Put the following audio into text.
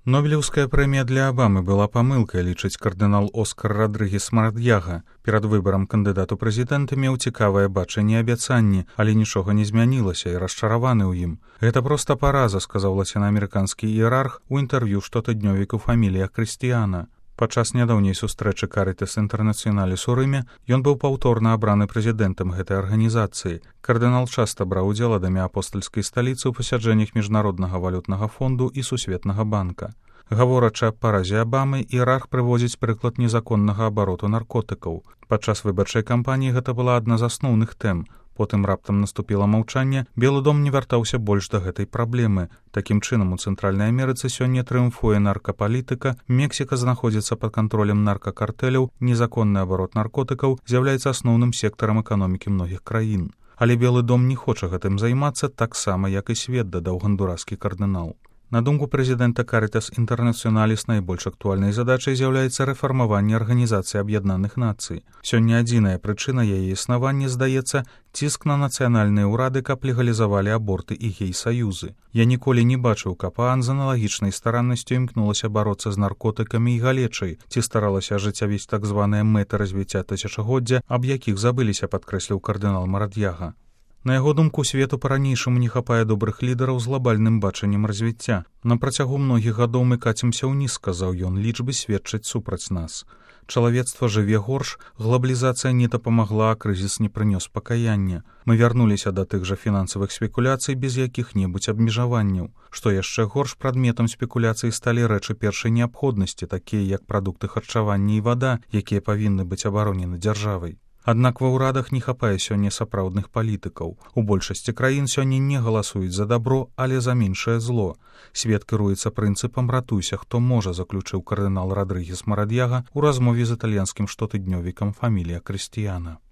Нобелеўская прэмія для Абамы была памылкай, лічыць кардынал Оскар Родрыгес Марадьяга. Перад выбарам кандыдат у прэзідэнты меў цікавае бачанне і абяцанні, але нічога не змянілася і расчараваны ў ім. Гэта проста параза, сказаў лацінаамерыканскі іерарх у інтэрв'ю штотыднёвіку «Фамілія Крыстіяна». Падчас нядаўняй сустрэчы Карытас Інтэрнацыёналіс у Рыме ён быў паўторна абраны прэзідэнтам гэтай арганізацыі. Кардынал часта браў удзел ад імя апостальскай сталіцы ў пасяджэннях міжнароднага валютнага фонду і сусветнага банка. Гаворачы аб паразе Абамы, іерарх прыводзіць прыклад незаконнага абароту наркотыкаў. Падчас выбарчай кампаніі гэта была адна з асноўных тэм. Потым раптам наступіла маўчанне, Белы дом не вяртаўся больш да гэтай праблемы. Такім чынам, у Цэнтральнай Амерыцы сёння трыумфуе наркапалітыка, Мексіка знаходзіцца пад кантролем наркакартэляў, незаконны абарот наркотыкаў з'яўляецца асноўным сектарам эканомікі многіх краін. Але Белы дом не хоча гэтым займацца таксама, як і свет, дадаў гондураскі кардынал. На думку прэзідэнта Карытас Інтэрнацыёналіс, найбольш актуальнай задачай з'яўляецца рэфармаванне Арганізацыі Аб'яднаных Нацый. Сёння адзіная прычына яе існавання, здаецца, ціск на нацыянальныя ўрады, каб легалізавалі аборты і гей-саюзы. Я ніколі не бачыў, каб ААН з аналагічнай стараннасцю імкнулася бароцца з наркотыкамі і галечай, ці старалася ажыццявіць так званыя мэты развіцця тысячагоддзя, аб якіх забыліся, падкрэсліў кардынал Марадьяга. На яго думку, свету па-ранейшаму не хапае добрых лідараў з глобальным бачаннем развіцця. На працягу многіх гадоў мы кацімся ўніз, сказаў ён, лічбы сведчаць супраць нас. Чалавецтва жыве горш, глобалізацыя не дапамагла, а крызіс не прынёс пакаяння. Мы вярнуліся да тых жа фінансавых спекуляцый без якіх-небудзь абмежаванняў. Што яшчэ горш, прадметам спекуляцый сталі рэчы першай неабходнасці, такія як прадукты харчавання і вада, якія павінны быць абаронены дзяржавай. Аднак ва ўрадах не хапае сёння сапраўдных палітыкаў. У большасці краін сёння не галасуюць за дабро, але за меншае зло. Свет кіруецца прынцыпам «ратуйся, хто можа», заключыў кардынал Родрыгес Марадьяга ў размове з італьянскім штотыднёвікам «Фамілія Крыстіяна».